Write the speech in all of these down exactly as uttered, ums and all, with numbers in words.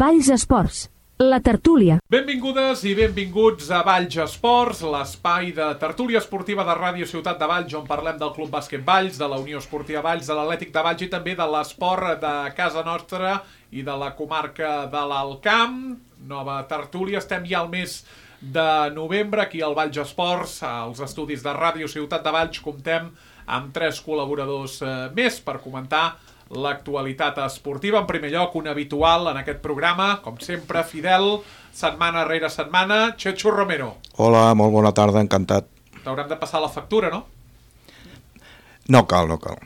Valls Esports, la tertúlia. Benvingudes i benvinguts a Valls Esports, l'espai de tertúlia esportiva de Ràdio Ciutat de Valls, on parlem del Club Bàsquet Valls, de la Unió Esportiva Valls, de l'Atlètic de Valls i també de l'esport de casa nostra i de la comarca de l'Alt Camp. Nova tertúlia, estem ja al mes de novembre, aquí al Valls Esports, als estudis de Ràdio Ciutat de Valls, comptem amb tres col·laboradors eh, més per comentar l'actualitat esportiva. En primer lloc, un habitual en aquest programa, com sempre, fidel, setmana rere setmana, Chechu Romero. Hola, molt bona tarda, encantat. T'haurem de passar la factura, no? No cal, no cal.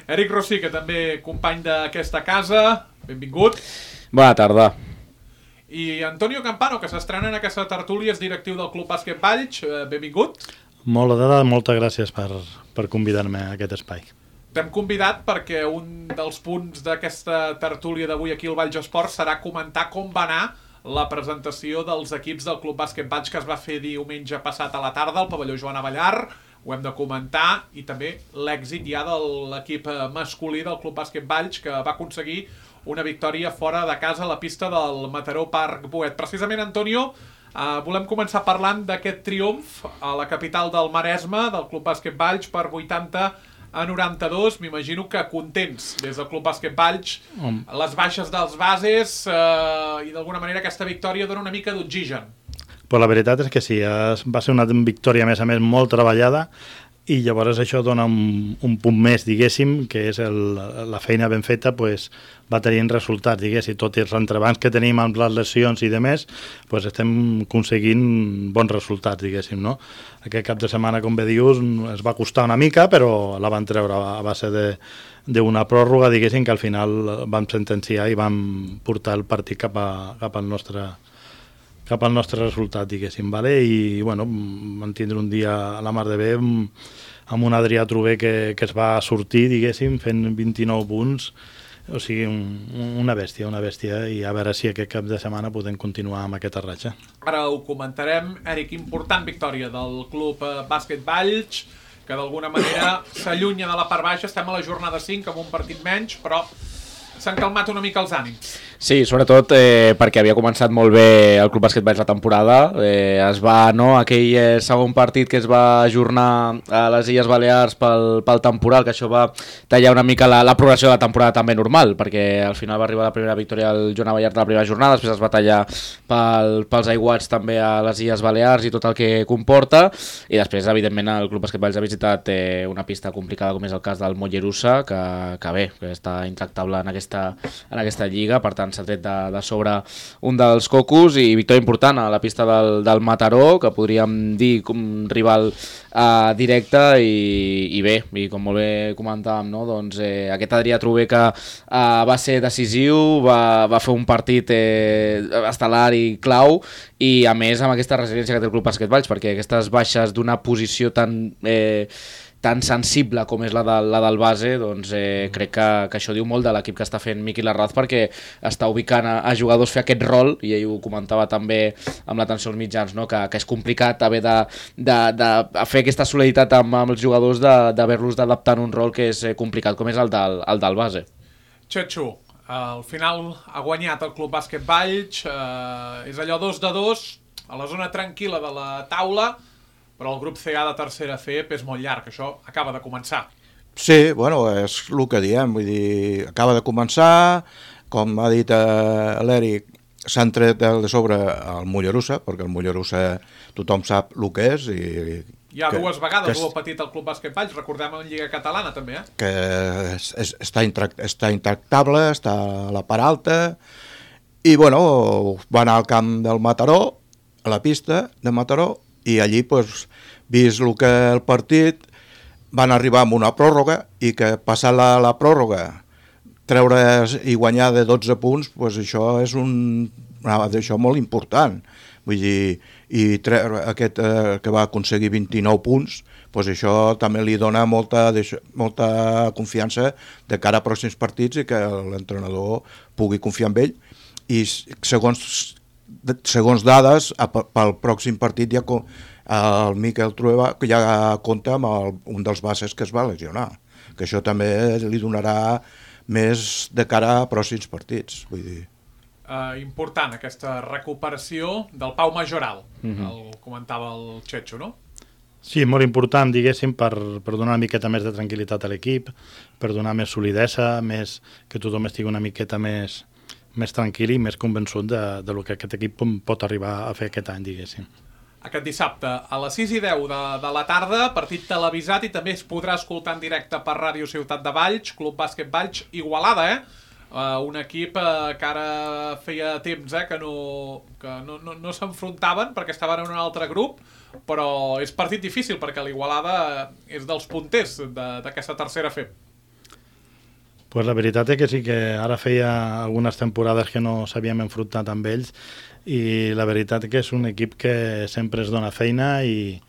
Eric Rossi, que també company d'aquesta casa, benvingut. Bona tarda. I Antonio Campano, que s'estrena en aquesta tertúlia, és directiu del Club Bàsquet Valls, benvingut. Molt de moltes gràcies per, per convidar-me a aquest espai. T'hem convidat perquè un dels punts d'aquesta tertúlia d'avui aquí al Valls Esports serà comentar com va anar la presentació dels equips del Club Bàsquet Valls que es va fer diumenge passat a la tarda al pavelló Joan Avellar. Ho hem de comentar, i també l'èxit ja de l'equip masculí del Club Bàsquet Valls, que va aconseguir una victòria fora de casa a la pista del Mataró Parc Boet. Precisament, Antonio, eh, volem començar parlant d'aquest triomf a la capital del Maresme del Club Bàsquet Valls per vuitanta a noranta-dos. M'imagino que contents des del Club Bàsquet Valls, mm. les baixes dels bases eh, i d'alguna manera aquesta victòria dona una mica d'oxigen. Però la veritat és que sí, va ser una victòria a més a més molt treballada i llavors això dona un, un punt més, diguéssim, que és el, la feina ben feta, pues, va tenint resultats, diguéssim, tot i els entrebancs que tenim amb les lesions i demés, pues, estem aconseguint bons resultats, diguéssim, no? Aquest cap de setmana, com bé dius, es va costar una mica, però la van treure a base de d'una pròrroga, diguéssim, que al final vam sentenciar i vam portar el partit cap, a, cap al nostre cap al nostre resultat, diguéssim, vale? I, bueno, vam tindre un dia a la mar de bé amb un Adrià Trover que, que es va sortir, diguéssim, fent vint-i-nou punts, o sigui, un, una bèstia, una bèstia, i a veure si aquest cap de setmana podem continuar amb aquesta ratxa. Ara ho comentarem. Eric, important victòria del Club Bàsquet Valls, que d'alguna manera s'allunya de la part baixa. Estem a la jornada cinc amb un partit menys, però s'han calmat una mica els ànims. Sí, sobretot eh, perquè havia començat molt bé el Club Bàsquet Valls la temporada. Eh, es va, no, aquell eh, segon partit que es va ajornar a les Illes Balears pel, pel temporal, que això va tallar una mica la, la progressió de la temporada també normal, perquè al final va arribar la primera victòria al Joan Avellar de la primera jornada, després es va tallar pel, pels aiguats també a les Illes Balears i tot el que comporta, i després, evidentment, el Club Bàsquet Valls ha visitat eh, una pista complicada com és el cas del Mollerussa, que, que bé, que està intractable en aquesta, en aquesta lliga, per tant s'ha tret de, de sobre un dels cocos, i victòria important a la pista del, del Mataró, que podríem dir com un rival eh, directe, i, i bé, i com molt bé comentàvem, no? Doncs, eh, aquest Adrià Trover que eh, va ser decisiu, va, va fer un partit eh, estel·lar i clau, i a més amb aquesta resiliència que té el Club Bàsquet Valls, perquè aquestes baixes d'una posició tan eh, tan sensible com és la, de, la del base, doncs eh, crec que, que això diu molt de l'equip que està fent Miqui Larraz, perquè està ubicant a, a jugadors fer aquest rol, i ell ho comentava també amb l'atenció als mitjans, no? que, que és complicat haver de, de, de fer aquesta solidaritat amb, amb els jugadors, d'haver-los d'adaptar en un rol que és complicat, com és el del, el del base. Chechu, al final ha guanyat el Club Bàsquet Valls, eh, és allò dos de dos, a la zona tranquil·la de la taula, però el grup C A de tercera F E P és molt llarg, això acaba de començar. Sí, bueno, és el que diem, vull dir, acaba de començar, com ha dit eh, l'Eric, s'han tret de sobre el Mollerussa, perquè el Mollerussa tothom sap el que és, i ja que, dues vegades que ho ha patit el Club Bàsquet Valls, recordem en Lliga Catalana també, eh? Que és, és, està, intract, està intractable, està a la part alta, i bueno, va anar al camp del Mataró, a la pista de Mataró, i allí, pues, vist el que el partit, van arribar amb una pròrroga, i que passar la, la pròrroga, treure i guanyar de dotze punts, pues això és un, això molt important. Vull dir, i treure aquest eh, que va aconseguir vint-i-nou punts, pues això també li dona molta, molta confiança de cara a pròxims partits, i que l'entrenador pugui confiar en ell. I segons segons dades, pel pròxim partit ja el Miquel Trueba ja compta amb el, un dels bases que es va lesionar, que això també li donarà més de cara a pròxims partits, vull dir. eh, important aquesta recuperació del Pau Majoral, Mhm. el comentava el Checho, no? Sí, molt important, diguéssim, per, per donar una miqueta més de tranquil·litat a l'equip, per donar més solidesa, més, que tothom estigui una miqueta més, més tranquil i més convençut de, de lo que aquest equip pot arribar a fer aquest any, diguéssim. Aquest dissabte a les sis i deu de, de la tarda, partit televisat i també es podrà escoltar en directe per Ràdio Ciutat de Valls, Club Bàsquet Valls, Igualada, eh? Uh, un equip uh, que ara feia temps eh, que no, que no, no, no s'enfrontaven perquè estaven en un altre grup, però és partit difícil perquè l'Igualada és dels punters d'aquesta tercera F E P. Pues la veritat és que sí que ara feia algunes temporades que no s'havíem enfrontat amb ells i la veritat és que és un equip que sempre es dona feina i,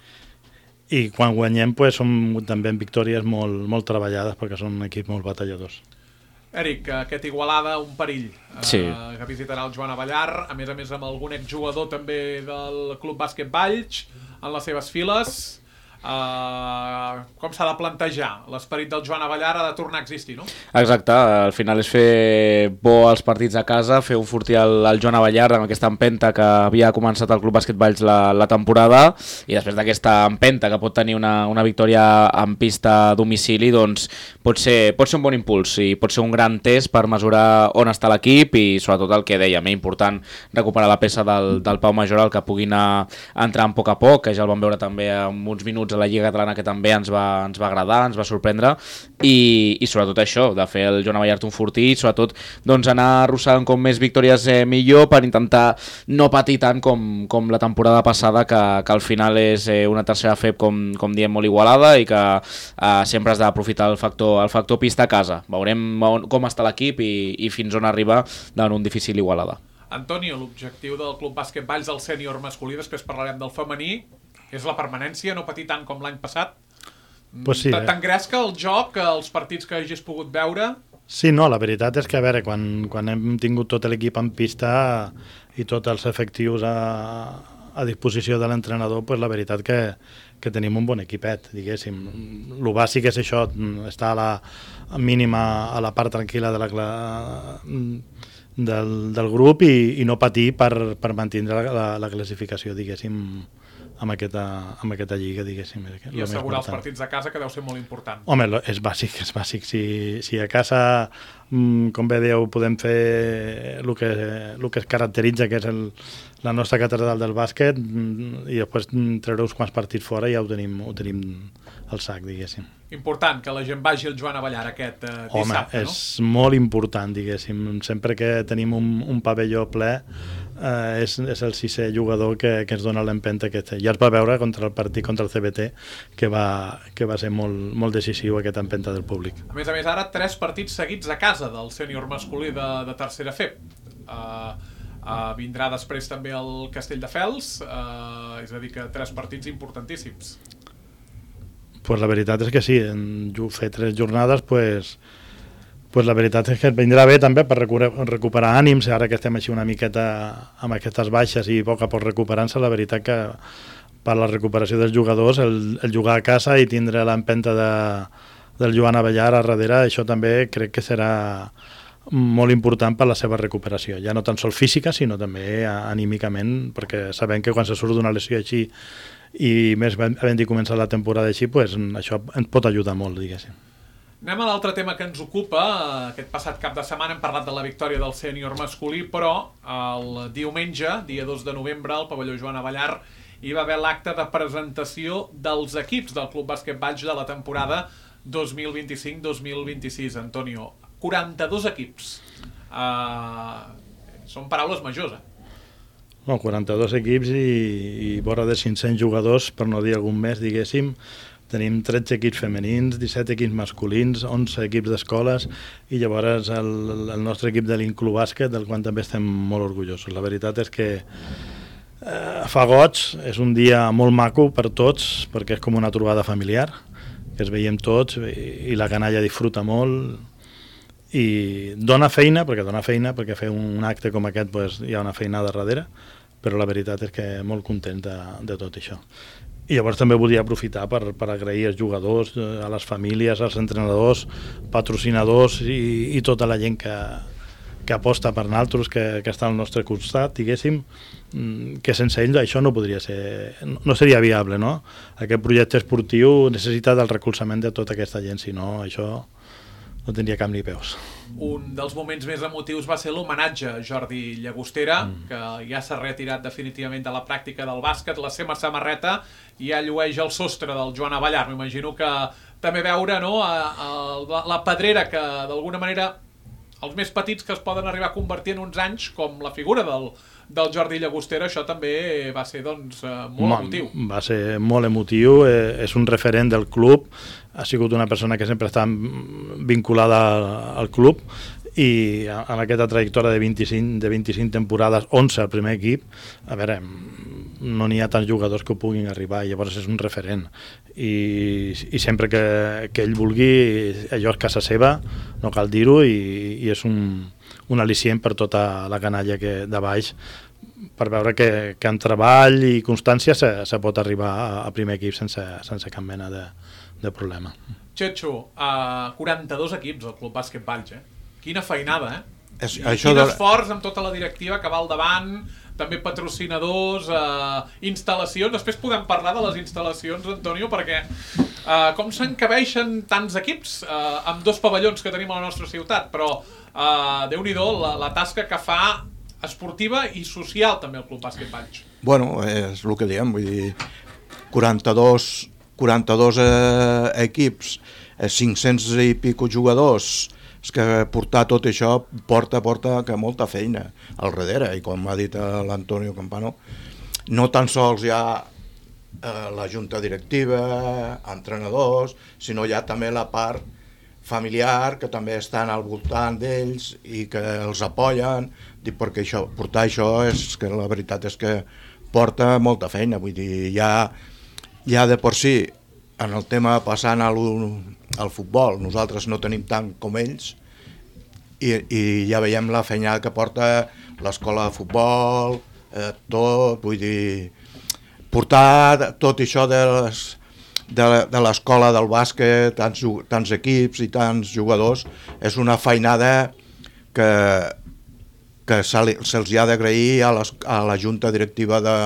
i quan guanyem pues, són també victòries molt, molt treballades perquè són un equip molt batalladors. Eric, aquest Igualada, un perill, sí. uh, que visitarà el Joan Avellar, a més a més amb algun exjugador també del Club Bàsquet Valls en les seves files. Uh, com s'ha de plantejar? L'esperit del Joan Avellar ha de tornar a existir, no? Exacte, al final és fer bo els partits a casa, fer un fortí al, al Joan Avellar amb aquesta empenta que havia començat el Club Bàsquet Valls la, la temporada i després d'aquesta empenta que pot tenir una, una victòria en pista a domicili, doncs pot ser, pot ser un bon impuls i pot ser un gran test per mesurar on està l'equip i sobretot el que dèiem, és important recuperar la peça del, del Pau Majoral que pugui anar entrant a poc a poc, que ja el vam veure també en uns minuts a la Lliga Catalana que també ens va, ens va agradar, ens va sorprendre i, i sobretot això, de fer el Joan Avellar un fortí i sobretot doncs, anar arrossegant com més victòries eh, millor per intentar no patir tant com, com la temporada passada que, que al final és eh, una tercera F E P com, com diem molt igualada i que eh, sempre has d'aprofitar el factor, el factor pista a casa. Veurem on, com està l'equip i, i fins on arriba davant un difícil Igualada. Antonio, l'objectiu del Club Bàsquet Valls del sènior masculí, després parlarem del femení, és la permanència, no patir tant com l'any passat? Pues sí, eh? T'engresca el joc, els partits que hagis pogut veure? Sí, no, la veritat és que, a veure, quan, quan hem tingut tot l'equip en pista i tots els efectius a, a disposició de l'entrenador, pues la veritat que, que tenim un bon equipet, diguéssim. El bàsic és això, estar a la mínima, a la part tranquil·la de la, del, del grup i, i no patir per, per mantenir la, la classificació, diguéssim, amb aquesta, amb aquesta lliga, diguéssim. I assegurar els partits de casa, que deu ser molt important. Home, és bàsic, és bàsic. Si, si a casa, com bé dieu, podem fer el que, el que es caracteritza, que és el, la nostra catedral del bàsquet, i després treure uns quants partits fora i ja ho tenim, ho tenim al sac, diguéssim. Important que la gent vagi al Joan Avellar aquest eh, dissabte, Home, no? és molt important, diguéssim. Sempre que tenim un, un pavelló ple, eh, és, és el sisè jugador que, que ens dona l'empenta que té. Ja es va veure contra el partit contra el C B T, que va, que va ser molt, molt decisiu aquesta empenta del públic. A més a més, ara tres partits seguits a casa del sènior masculí de, de tercera F E P. Uh, uh, vindrà després també el Castelldefels, uh, és a dir que tres partits importantíssims. Pues la veritat és que sí, en fer tres jornades, pues, pues la veritat és que et vindrà bé també per recuperar, recuperar ànims, ara que estem així una miqueta amb aquestes baixes i a poc a poc recuperant-se, la veritat que per la recuperació dels jugadors, el, el jugar a casa i tindre l'empenta de, del Joan Avellar a darrere, això també crec que serà molt important per la seva recuperació, ja no tan sol física, sinó també anímicament, perquè sabem que quan se surt d'una lesió així i més havent de començar la temporada així, pues, això ens pot ajudar molt, diguéssim. Anem a l'altre tema que ens ocupa. Aquest passat cap de setmana hem parlat de la victòria del sènior masculí, però el diumenge, dia dos de novembre, al pavelló Joan Avellar, hi va haver l'acte de presentació dels equips del Club Bàsquet Valls de la temporada dos mil vint-i-cinc dos mil vint-i-sis. Antonio, quaranta-dos equips. Uh, són paraules majors, eh? No, quaranta-dos equips i, i vora de cinc-cents jugadors, per no dir algun més, diguéssim. Tenim tretze equips femenins, disset equips masculins, onze equips d'escoles i llavors el, el nostre equip de l'Inclub Bàsquet, del qual també estem molt orgullosos. La veritat és que eh, fa goig, és un dia molt maco per tots, perquè és com una trobada familiar, que es veiem tots i, i la canalla disfruta molt i dona feina, perquè dona feina, perquè fer un acte com aquest pues, hi ha una feinada darrere, però la veritat és que molt content de, de tot això. I llavors també volia aprofitar per, per agrair als jugadors, a les famílies, als entrenadors, patrocinadors i, i tota la gent que, que aposta per nosaltres, que, que està al nostre costat, diguéssim, que sense ell això no podria ser, no seria viable, no? Aquest projecte esportiu necessita del recolzament de tota aquesta gent, si no, això no tindria cap ni peus. Un dels moments més emotius va ser l'homenatge a Jordi Llagostera, mm. que ja s'ha retirat definitivament de la pràctica del bàsquet, la seva samarreta ja llueix el sostre del Joan Avellar. M'imagino que també veure, no, a, a, la pedrera que d'alguna manera els més petits que es poden arribar a convertir en uns anys, com la figura del, del Jordi Llagostera, això també va ser doncs, molt Ma, emotiu. Va ser molt emotiu, eh, és un referent del club, ha sigut una persona que sempre està vinculada al club i en aquesta trajectòria de vint-i-cinc, de vint-i-cinc temporades, onze al primer equip, a veure, no n'hi ha tants jugadors que ho puguin arribar, i llavors és un referent. I, i sempre que, que ell vulgui, allò és casa seva, no cal dir-ho, i, i és un, un al·licient per tota la canalla que de baix, per veure que, que amb treball i constància se, se pot arribar a, a primer equip sense, sense cap mena de, de problema. Txetxo, uh, quaranta-dos equips al Club Bàsquet Valls, eh? Quina feinada, eh? És, I això quin de... esforç amb tota la directiva que va al davant, també patrocinadors, eh, instal·lacions. Després podem parlar de les instal·lacions, Antonio, perquè eh, com s'encabeixen tants equips eh, amb dos pavellons que tenim a la nostra ciutat, però eh, Déu-n'hi-do la, la tasca que fa esportiva i social també el Club Bàsquet Valls. Bueno, és el que diem, vull dir, quaranta-dos, quaranta-dos eh, equips, eh, cinc-cents i pico jugadors. És que portar tot això porta, porta que molta feina al darrere, i com ha dit l'Antonio Campano, no tan sols hi ha eh, la junta directiva, entrenadors, sinó hi ha també la part familiar, que també estan al voltant d'ells i que els apoyen, perquè això, portar això és que la veritat és que porta molta feina, vull dir, ja, ja de per si, en el tema passant al, al futbol, nosaltres no tenim tant com ells, i, i ja veiem la feina que porta l'escola de futbol, eh, tot, vull dir, portar tot això de les, de, de l'escola del bàsquet, tants, tants equips i tants jugadors, és una feinada que, que se'ls ha d'agrair a, a la junta directiva de,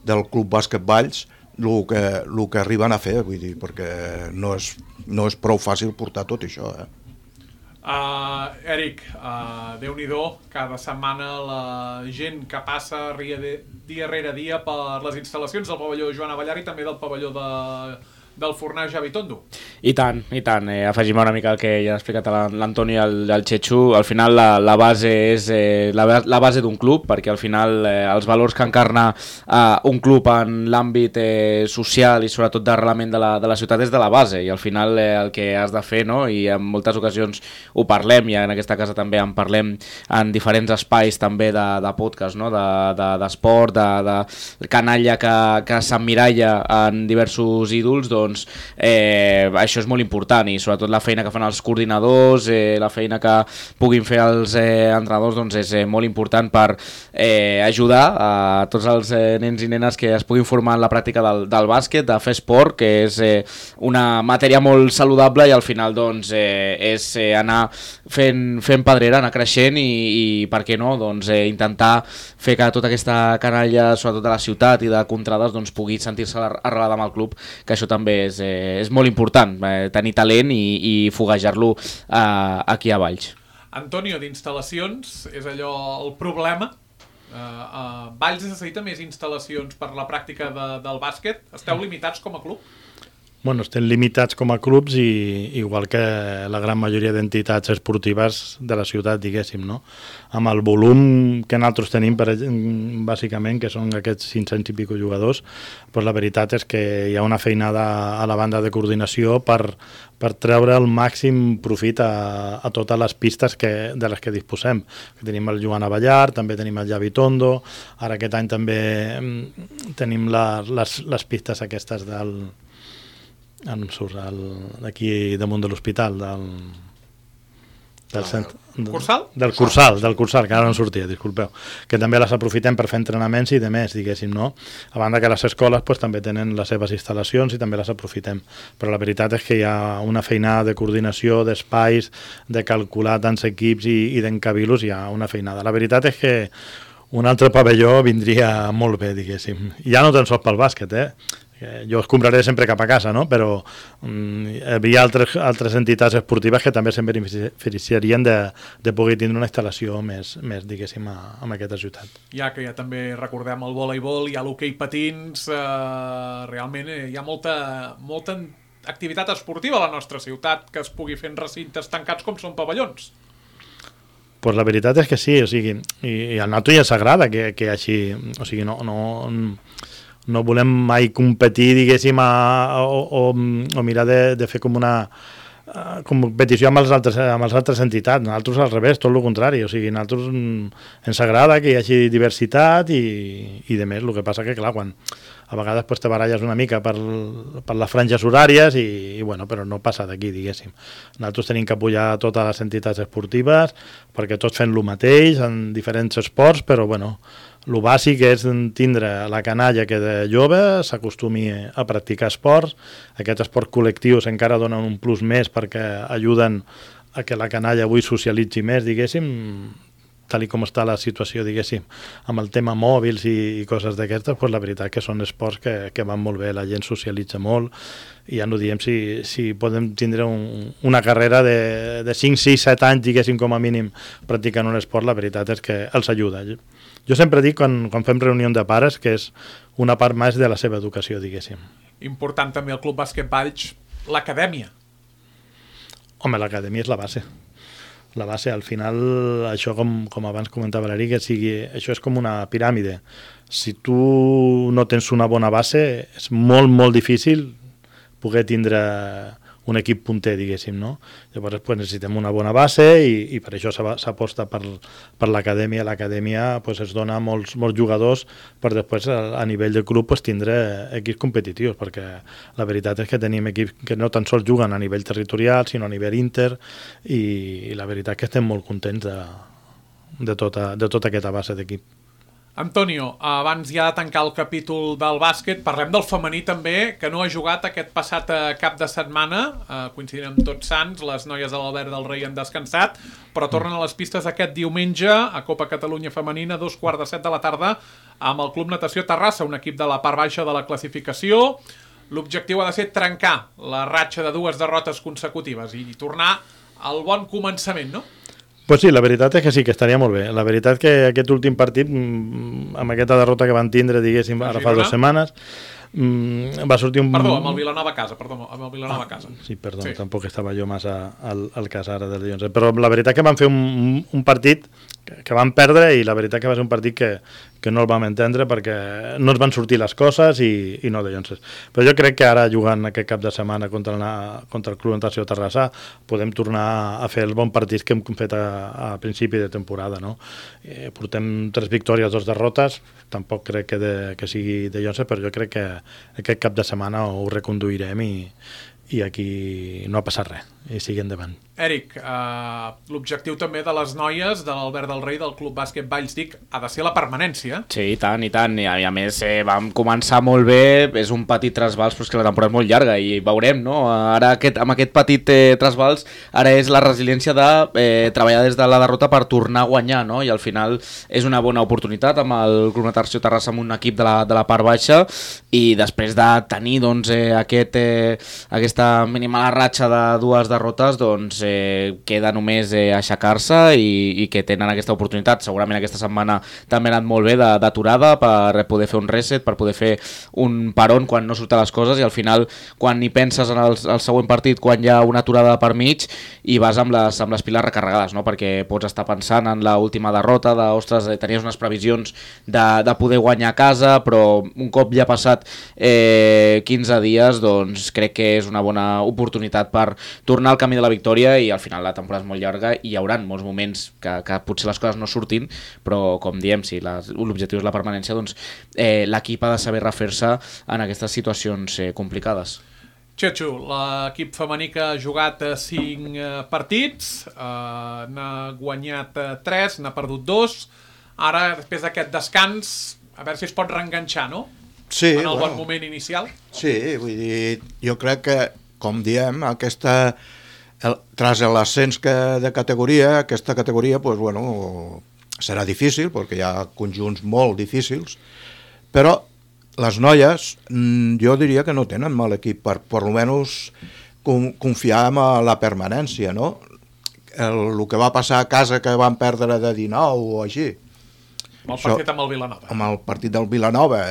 del Club Bàsquet Valls, el que, el que arriben a fer, vull dir, perquè no és, no és prou fàcil portar tot això. Eh? Uh, Eric, uh, Déu-n'hi-do, cada setmana la gent que passa dia, de, dia rere dia per les instal·lacions del pavelló Joan Avellar i també del pavelló de, del Fornar Javi Tondo. I tant, i tant. Eh, afegim una mica el que ja ha explicat l'Antoni i el, el Txetxo. Al final la, la base és eh, la, la base d'un club, perquè al final eh, els valors que encarna eh, un club en l'àmbit eh, social i sobretot d'arrelament de, la, de la ciutat és de la base, i al final eh, el que has de fer, no? I en moltes ocasions ho parlem, i en aquesta casa també en parlem en diferents espais també de, de podcast, no? d'esport, de, de, de canalla que, que s'emmiralla en diversos ídols, doncs eh, això és molt important, i sobretot la feina que fan els coordinadors, eh, la feina que puguin fer els eh, entrenadors, doncs és eh, molt important per eh, ajudar a tots els eh, nens i nenes que es puguin formar en la pràctica del, del bàsquet, de fer esport, que és eh, una matèria molt saludable, i al final doncs eh, és eh, anar fent, fent pedrera, anar creixent, i, i per què no, doncs eh, intentar fer que tota aquesta canalla, sobretot de la ciutat i de contrades, doncs pugui sentir-se arrelada amb el club, que això també és, eh, és molt important, eh, tenir talent i, i foguejar-lo eh, aquí a Valls. Antonio, d'instal·lacions, és allò el problema? Uh, uh, Valls necessita més instal·lacions per la pràctica de, del bàsquet? Esteu limitats com a club? Bueno, estem limitats com a clubs, i igual que la gran majoria d'entitats esportives de la ciutat, diguéssim, no? Amb el volum que nosaltres tenim, per, bàsicament, que són aquests cinc-cents i pico jugadors, doncs la veritat és que hi ha una feinada a la banda de coordinació per, per treure el màxim profit a, a totes les pistes que, de les que disposem. Tenim el Joan Avellar, també tenim el Javi Tondo, ara aquest any també tenim la, les, les pistes aquestes del... em surt d'aquí damunt de l'hospital, del... Del, cent... Cursal? Del Cursal, del Cursal, que ara no en sortia, disculpeu. Que també les aprofitem per fer entrenaments i de més, diguéssim, no? A banda que les escoles pues, també tenen les seves instal·lacions i també les aprofitem. Però la veritat és que hi ha una feinada de coordinació, d'espais, de calcular tants equips i, i d'encabilos, hi ha una feinada. La veritat és que un altre pavelló vindria molt bé, diguéssim. Ja no tan sols pel bàsquet, eh? Jo es compraré sempre cap a casa, no? Però um, hi havia altres, altres entitats esportives que també se'n beneficiarien de, de poder tindre una instal·lació més, més diguéssim, a, a aquesta ciutat. Ja que ja també recordem el voleibol, hi ha l'hoquei patins, eh, realment hi ha molta, molta activitat esportiva a la nostra ciutat que es pugui fer en recintes tancats com són pavellons. Pues la veritat és que sí, o sigui, i, i al nato ja s'agrada que, que així, o sigui, no... no no volem mai competir, diguéssim, a, o, o, o mirar de, de fer com una uh, competició amb els altres, amb les altres entitats. Nosaltres al revés, tot el contrari. O sigui, a nosaltres ens agrada que hi hagi diversitat i, i de més. El que passa que, clar, quan a vegades pues, te baralles una mica per, per les franges horàries i, i bueno, però no passa d'aquí, diguéssim. Nosaltres tenim que apoyar totes les entitats esportives perquè tots fem el mateix en diferents esports, però bueno, el bàsic és tindre la canalla que de jove s'acostumi a practicar esports. Aquests esports col·lectius encara donen un plus més perquè ajuden a que la canalla avui socialitzi més, diguéssim, tal i com està la situació, diguéssim, amb el tema mòbils i, i coses d'aquestes, pues la veritat que són esports que, que van molt bé, la gent socialitza molt i ja no diem si, si podem tindre un, una carrera de, de cinc, sis, set anys, diguéssim, com a mínim practicant un esport, la veritat és que els ajuda. Jo sempre dic, quan, quan fem reunió de pares, que és una part més de la seva educació, diguéssim. Important també el Club Bàsquet Valls, l'acadèmia. Home, l'acadèmia és la base. La base, al final, això com, com abans comentava l'Eric, que sigui, això és com una piràmide. Si tu no tens una bona base, és molt, molt difícil poder tindre un equip punter, diguéssim, no? Llavors pues, necessitem una bona base i, i per això s'aposta per, per l'acadèmia. L'acadèmia pues, es dona a molts, molts jugadors per després a, a nivell de club pues, tindre equips competitius, perquè la veritat és que tenim equips que no tan sols juguen a nivell territorial, sinó a nivell inter, i, i la veritat és que estem molt contents de, de, tota, de tota aquesta base d'equip. Antonio, abans ja de tancar el capítol del bàsquet, parlem del femení també, que no ha jugat aquest passat cap de setmana, eh, coincidint amb Tots Sants, les noies de l'Albert del Rei han descansat, però tornen a les pistes aquest diumenge a Copa Catalunya Femenina, dos quarts de set de la tarda, amb el Club Natació Terrassa, un equip de la part baixa de la classificació. L'objectiu ha de ser trencar la ratxa de dues derrotes consecutives i tornar al bon començament, no? Pues sí, la veritat és que sí, que estaria molt bé. La veritat que aquest últim partit, amb aquesta derrota que van tindre, diguéssim, ara fa dues setmanes, va sortir un... Perdó, amb el Vilanova a casa, perdó, amb el Vilanova a casa. Ah, sí, perdó, sí. Tampoc estava jo massa al, al cas ara del Llonze. Però la veritat que van fer un, un partit que, que van perdre i la veritat que va ser un partit que, que no el vam entendre perquè no ens van sortir les coses i, i no de Llonces. Però jo crec que ara jugant aquest cap de setmana contra el, contra el Club Natació Terrassa podem tornar a fer el bon partit que hem fet a, a principi de temporada, no? Eh, portem tres victòries, dos derrotes, tampoc crec que, de, que sigui de Llonces, però jo crec que aquest cap de setmana ho reconduirem i, i aquí no ha passat res, i sigui endavant. Eric, eh, l'objectiu també de les noies de l'Albert del Rei del Club Bàsquet Valls Dic ha de ser la permanència. Sí, i tant, i tant, i a, i a més eh, vam començar molt bé, és un petit trasbals, però és que la temporada és molt llarga i veurem, no? Ara aquest, amb aquest petit eh, trasbals, ara és la resiliència de eh, treballar des de la derrota per tornar a guanyar, no? I al final és una bona oportunitat amb el Club Natació Terrassa amb un equip de la, de la part baixa i després de tenir doncs, eh, aquest, eh, aquesta mínima ratxa de dues derrotes, doncs eh, queda només eh, aixecar-se i, i que tenen aquesta oportunitat. Segurament aquesta setmana també ha anat molt bé d'aturada per poder fer un reset, per poder fer un paron quan no surten les coses i al final quan hi penses en el, el següent partit, quan hi ha una aturada per mig i vas amb les, amb les piles recarregades, no? Perquè pots estar pensant en l'última derrota de, ostres, eh, tenies unes previsions de, de poder guanyar a casa, però un cop ja ha passat eh, quinze dies, doncs crec que és una bona oportunitat per tornar al camí de la victòria i al final la temporada és molt llarga i hi haurà molts moments que, que potser les coses no surtin, però com diem, si l'objectiu és la permanència, doncs eh, l'equip ha de saber refer-se en aquestes situacions eh, complicades. Xetxo, l'equip femení que ha jugat cinc partits, eh, n'ha guanyat tres, n'ha perdut dos. Ara, després d'aquest descans, a veure si es pot reenganxar, no? Sí, en el bueno, bon moment inicial. Sí, vull dir, jo crec que, com diem, aquesta, el, tras l'ascens de categoria, aquesta categoria, pues, bueno, serà difícil, perquè hi ha conjunts molt difícils, però les noies, jo diria que no tenen mal equip per, per almenys, confiar en la permanència, no? El, el que va passar a casa, que van perdre de dinou o així. Amb el partit amb el Vilanova. Amb el partit del Vilanova,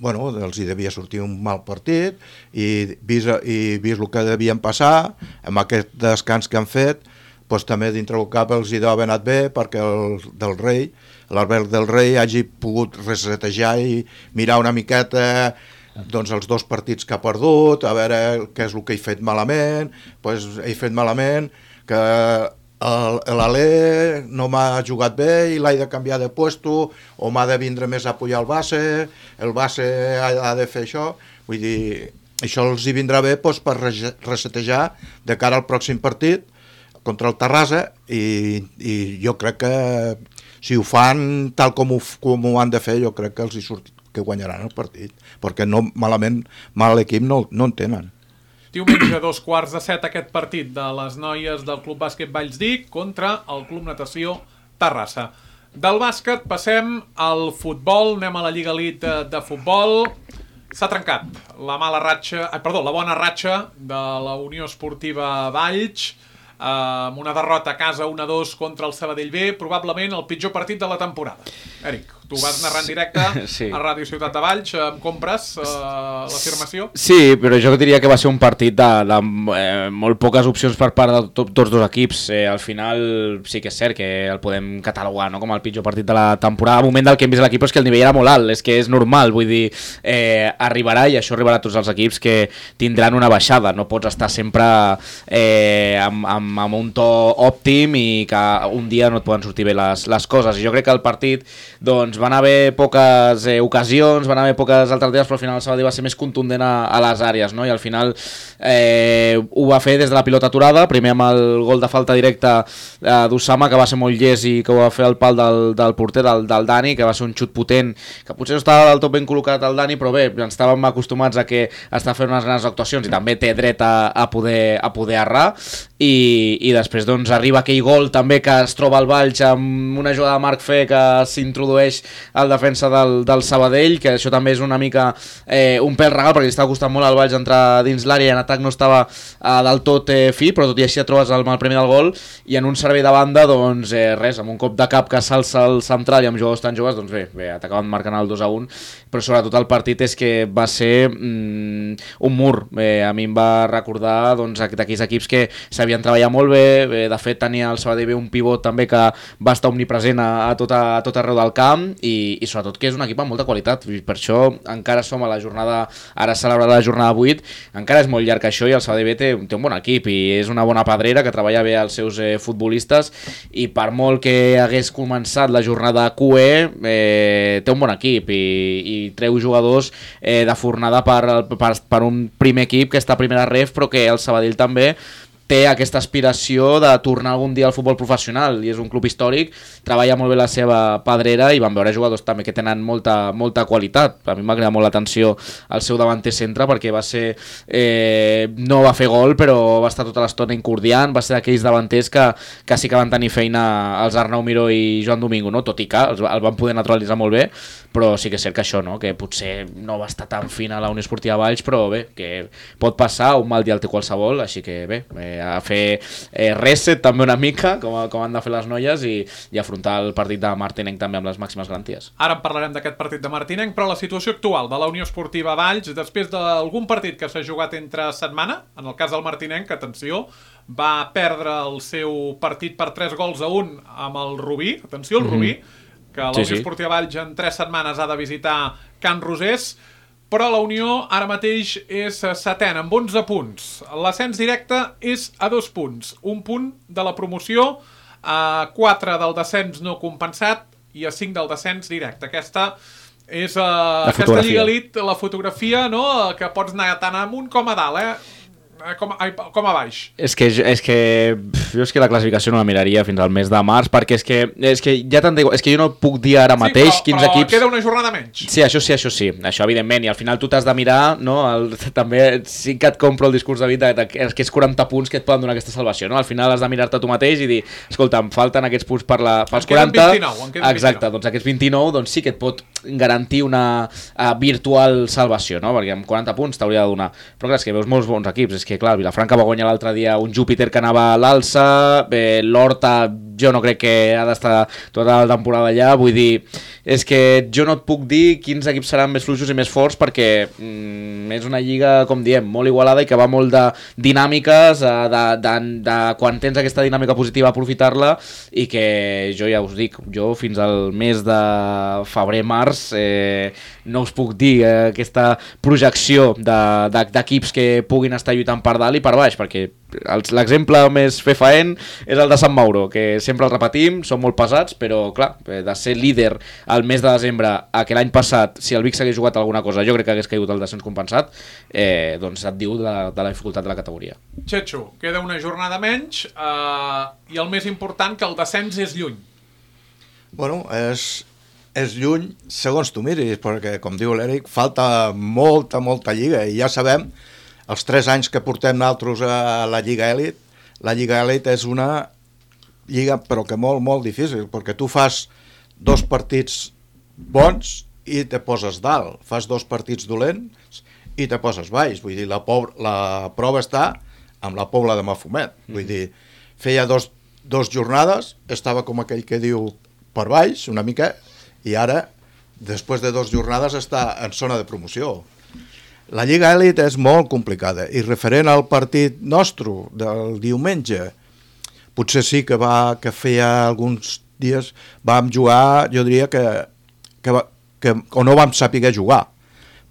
bueno, els hi devia sortir un mal partit, i vist, i vist el que devien passar, amb aquest descans que han fet, doncs també dintre el cap els hi deu haver anat bé, perquè el del rei, l'Albert del Rei, hagi pogut resetejar i mirar una miqueta doncs, els dos partits que ha perdut, a veure què és el que he fet malament. Doncs he fet malament que l'Alé no m'ha jugat bé i l'he de canviar de puesto, o m'ha de vindre més a apoyar el base, el base ha de fer això. Vull dir, això els hi vindrà bé doncs, per resetejar de cara al pròxim partit contra el Terrassa, i, i jo crec que si ho fan tal com ho, com ho han de fer, jo crec que els hi surt que guanyaran el partit, perquè no, malament, mal equip no, no en tenen. Diumenge, dos quarts de set, aquest partit de les noies del Club Bàsquet Vallsdic contra el Club Natació Terrassa. Del bàsquet passem al futbol, anem a la Lliga Elite de futbol. S'ha trencat la mala ratxa, eh, perdó, la bona ratxa de la Unió Esportiva Valls, amb una derrota a casa un a dos contra el Sabadell B, probablement el pitjor partit de la temporada. Eric, tu vas narrar en directe sí. a Ràdio Ciutat de Valls, em compres uh, l'afirmació? Sí, però jo diria que va ser un partit de, de eh, molt poques opcions per part de to, tots dos equips. Eh, al final sí que és cert que el podem catalogar, no?, com el pitjor partit de la temporada. Al moment del que hem vist l'equip és que el nivell era molt alt, és que és normal, vull dir, eh, arribarà, i això arribarà a tots els equips, que tindran una baixada. No pots estar sempre eh, amb, amb amb un to òptim i que un dia no et poden sortir bé les, les coses. I jo crec que el partit doncs, van haver poques eh, ocasions, van haver poques alternatives, però al final el Sabadell va ser més contundent a, a les àrees, no? I al final eh, ho va fer des de la pilota aturada, primer amb el gol de falta directa eh, d'Usama, que va ser molt llest i que ho va fer al pal del, del porter, del, del Dani, que va ser un xut potent, que potser no estava del tot ben col·locat el Dani, però bé, ens estàvem acostumats a que està fent unes grans actuacions i també té dret a, a, poder, a poder errar, i i després doncs arriba aquell gol també que es troba al Valls amb una jugada de Marc Fe que s'introdueix al defensa del, del Sabadell, que això també és una mica eh, un pèl regal, perquè li estava costant molt al Valls entrar dins l'àrea i en atac no estava eh, del tot eh, fi, però tot i així et trobes el, el primer del gol, i en un servei de banda doncs eh, res, amb un cop de cap que s'alça el central i amb jugadors tan joves, doncs bé, bé t'acaben marcant el dos a un, però sobretot el partit és que va ser mm, un mur. Eh, a mi em va recordar doncs, d'aquells equips que s'havien treballat molt bé. De fet tenia el Sabadell B un pivot també que va estar omnipresent a, a, tot, a tot arreu del camp, i, i sobretot que és un equip amb molta qualitat, i per això encara som a la jornada, ara celebrarà la jornada vuit, encara és molt llarg això, i el Sabadell B té, té un bon equip i és una bona pedrera que treballa bé els seus eh, futbolistes, i per molt que hagués començat la jornada Q E eh, té un bon equip i, i treu jugadors eh, de fornada per, per, per un primer equip que està a primera ref, però que el Sabadell també té aquesta aspiració de tornar algun dia al futbol professional, i és un club històric, treballa molt bé la seva pedrera, i van veure jugadors també que tenen molta, molta qualitat. A mi m'ha cridat molt l'atenció el seu davanter centre, perquè va ser eh, no va fer gol, però va estar tota l'estona incordiant, va ser d'aquells davanters que, que sí que van tenir feina els Arnau Miró i Joan Domingo, no? Tot i que els, el van poder naturalitzar molt bé, però sí que és cert que això, no? Que potser no va estar tan fina a la Unió Esportiva Valls, però bé, que pot passar, un mal dia el té qualsevol, així que bé, eh, a fer eh, reset també una mica, com, com han de fer les noies, i, i afrontar el partit de Martinenc també amb les màximes garanties. Ara en parlarem d'aquest partit de Martinenc, però la situació actual de la Unió Esportiva Valls, després d'algun partit que s'ha jugat entre setmana, en el cas del Martinenc, atenció, va perdre el seu partit per tres gols a un amb el Rubí, atenció, el Rubí, mm-hmm. que la sí, Unió sí. Esportiva Valls en tres setmanes ha de visitar Can Rosés, però la Unió ara mateix és setena amb onze punts. L'ascens directe és a dos punts. Un punt de la promoció, a quatre del descens no compensat i a cinc del descens directe. Aquesta és uh, aquesta Lliga Elite, la fotografia, no?, que pots anar tant amunt com a dalt, eh? com, ai, com a baix? És que, és que pf, jo és que la classificació no la miraria fins al mes de març, perquè és que, és que ja tant dic, és que jo no puc dir ara mateix sí, però, quins però equips... queda una jornada menys. Sí, això sí, això sí, això evidentment, i al final tu t'has de mirar, no? El, també sí que et compro el discurs de vida, de, de, que és quaranta punts que et poden donar aquesta salvació, no? Al final has de mirar-te tu mateix i dir, escolta, em falten aquests punts per la, pels quaranta... vint-i-nou, en queden exacte, vint-i-nou. doncs aquests vint-i-nou doncs sí que et pot garantir una uh, virtual salvació, no? Perquè amb quaranta punts t'hauria de donar. Però clar, és que veus molts bons equips, és que clar, el Vilafranca va guanyar l'altre dia un Júpiter que anava a l'alça, eh, l'Horta jo no crec que ha d'estar tota la temporada allà, vull dir, és que jo no et puc dir quins equips seran més fluixos i més forts perquè mm, és una lliga, com diem, molt igualada i que va molt de dinàmiques, de, de, de, de quan tens aquesta dinàmica positiva aprofitar-la i que jo ja us dic, jo fins al mes de febrer-març eh, no us puc dir eh, aquesta projecció d'equips de, de, que puguin estar lluitant per dalt i per baix, perquè l'exemple més fefaent és el de Sant Mauro, que sempre el repetim, són molt pesats, però clar, de ser líder al mes de desembre a que l'any passat, si el Vic s'hagués jugat alguna cosa, jo crec que hagués caigut el descens compensat, eh, doncs et diu de la, de la dificultat de la categoria. Xetxo, queda una jornada menys eh, i el més important que el descens és lluny. Bueno, és, és lluny segons tu miris, perquè com diu l'Eric, falta molta, molta lliga i ja sabem els tres anys que portem nosaltres a la Lliga Elit, la Lliga Elit és una lliga però que molt, molt difícil, perquè tu fas dos partits bons i te poses dalt, fas dos partits dolents i te poses baix, vull dir, la, pobra, la prova està amb la Pobla de Mafumet, vull dir, feia dos, dos jornades, estava com aquell que diu per baix una mica, i ara, després de dues jornades, està en zona de promoció. La Lliga Elit és molt complicada i referent al partit nostre del diumenge, potser sí que va que feia alguns dies vam jugar, jo diria que, que, que o no vam saber jugar,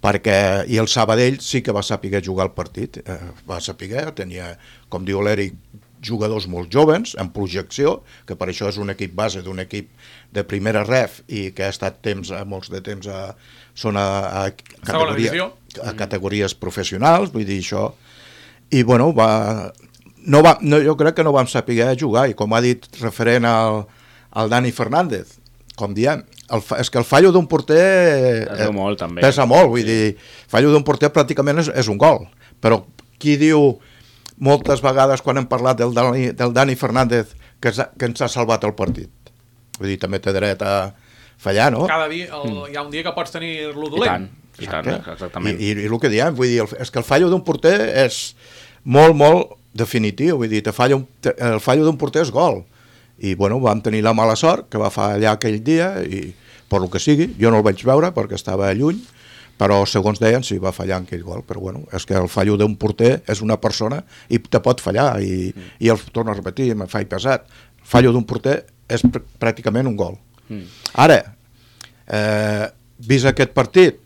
perquè i el Sabadell sí que va saber jugar el partit, eh, va saber, tenia, com diu l'Eric, jugadors molt joves, en projecció, que per això és un equip base d'un equip de primera ref i que ha estat temps, molts de temps a, són a, a, categoria, a categories professionals, vull dir això, i bueno, va, no va, no, jo crec que no vam saber jugar, i com ha dit referent al, al Dani Fernández, com diem, el, és que el fallo d'un porter pesa eh, molt, també. Pesa molt, vull sí. dir, fallo d'un porter pràcticament és, és un gol, però qui diu moltes vegades quan hem parlat del Dani, del Dani Fernández que, que ens ha salvat el partit? Vull dir, també té dret a fallar, no? Cada dia, el, mm. hi ha un dia que pots tenir-lo dolent. I tant, i tant, exactament. I, i, i el que diem, vull dir, és que el fallo d'un porter és molt, molt definitiu, vull dir, te falla un, te, el fallo d'un porter és gol. I, bueno, vam tenir la mala sort que va fallar aquell dia i, per lo que sigui, jo no el vaig veure perquè estava lluny, però segons deien sí, va fallar en aquell gol, però bueno, és que el fallo d'un porter és una persona i te pot fallar, i, mm. i el torno a repetir, me faig pesat, el fallo d'un porter és pr pràcticament un gol. Mm. Ara, eh, vist aquest partit,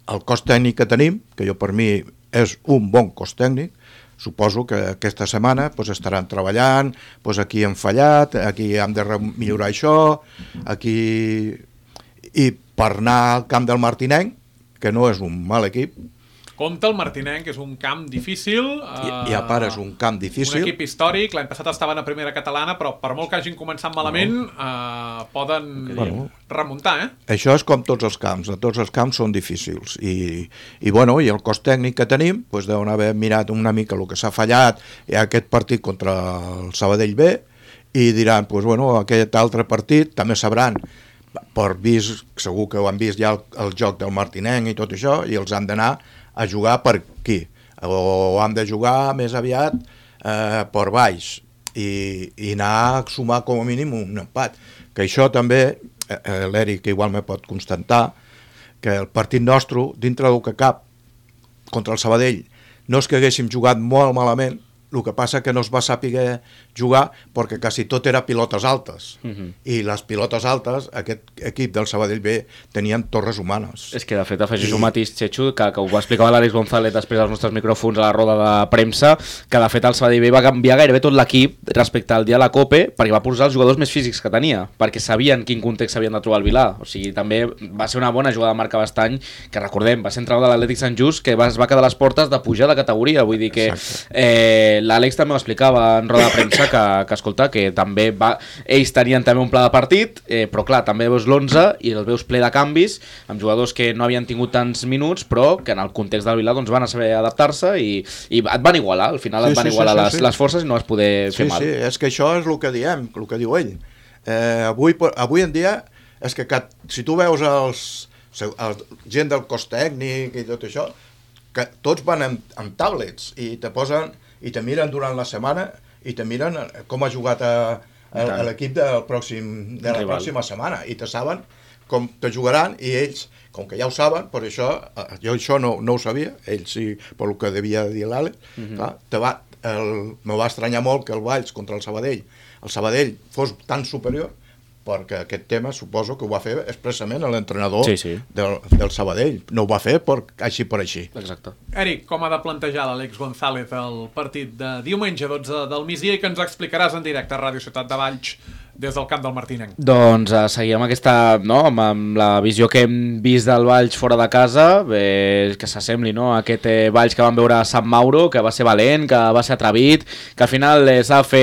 el cos tècnic que tenim, que jo per mi és un bon cos tècnic, suposo que aquesta setmana pues, estaran treballant, pues, aquí hem fallat, aquí hem de millorar això, aquí... I per anar al camp del Martinenc, que no és un mal equip. Compte el Martinenc, que és un camp difícil. I, i a part és un camp difícil. Un equip històric, l'any passat estaven a primera catalana, però per molt que hagin començat malament, no. eh, poden bueno, remuntar, eh? Això és com tots els camps, tots els camps són difícils. I, i, bueno, i el cos tècnic que tenim, doncs deuen haver mirat una mica el que s'ha fallat i aquest partit contra el Sabadell B, i diran, doncs, bueno, aquest altre partit també sabran, per vist, segur que ho han vist ja el, el joc del Martinenc i tot això, i els han d'anar a jugar per aquí, o han de jugar més aviat eh, per baix, i, i anar a sumar com a mínim un empat, que això també, eh, l'Eric igual me pot constatar, que el partit nostre, dintre del que cap, contra el Sabadell, no és que haguéssim jugat molt malament, el que passa que no es va saber jugar perquè quasi tot era pilotes altes. Uh-huh. I les pilotes altes, aquest equip del Sabadell B, tenien torres humanes. És que, de fet, afegeixo I... mateix, Chechu, que, que ho va explicar l'Àlex González després dels nostres micròfons a la roda de premsa, que, de fet, el Sabadell B va canviar gairebé tot l'equip respecte al dia de la Copa perquè va posar els jugadors més físics que tenia, perquè sabien quin context s'havien de trobar al Vilà. O sigui, també va ser una bona jugada de Marc Abastany, que recordem, va ser entrenador de l'Atlètic Sant Just, que va, es va quedar a les portes de pujar de categoria. Vull dir que eh, l'Àlex també ho explicava en roda de premsa, que, que escolta, que també va, ells tenien també un pla de partit, eh, però clar, també veus l'onze i el veus ple de canvis, amb jugadors que no havien tingut tants minuts, però que en el context del Vilà doncs, van a saber adaptar-se i, i et van igualar, al final sí, et van sí, igualar sí, sí, les, sí. les forces i no vas poder sí, fer mal. Sí, és que això és el que diem, el que diu ell. Eh, avui, avui en dia, és que cat, si tu veus els, els gent del cos tècnic i tot això, que tots van amb, amb tablets i te posen i te miren durant la setmana i te miren com ha jugat a, a, a l'equip del pròxim, de la Rival. pròxima setmana i te saben com te jugaran i ells, com que ja ho saben, per això, jo això no, no ho sabia, ells sí, per el que devia dir l'Àlex, uh-huh. clar, te va, el, me va estranyar molt que el Valls contra el Sabadell, el Sabadell fos tan superior, perquè aquest tema suposo que ho va fer expressament l'entrenador sí, sí. del, del Sabadell. No ho va fer per, així per així. Exacte. Eric, com ha de plantejar l'Àlex González el partit de diumenge dotze del migdia i que ens explicaràs en directe a Ràdio Ciutat de Valls des del camp del Martinenc? Doncs eh, seguim aquesta, no, amb, amb la visió que hem vist del Valls fora de casa, eh, que s'assembli, no, a aquest eh, Valls que vam veure a Sant Mauro, que va ser valent, que va ser atrevit, que al final eh, s'ha de fer...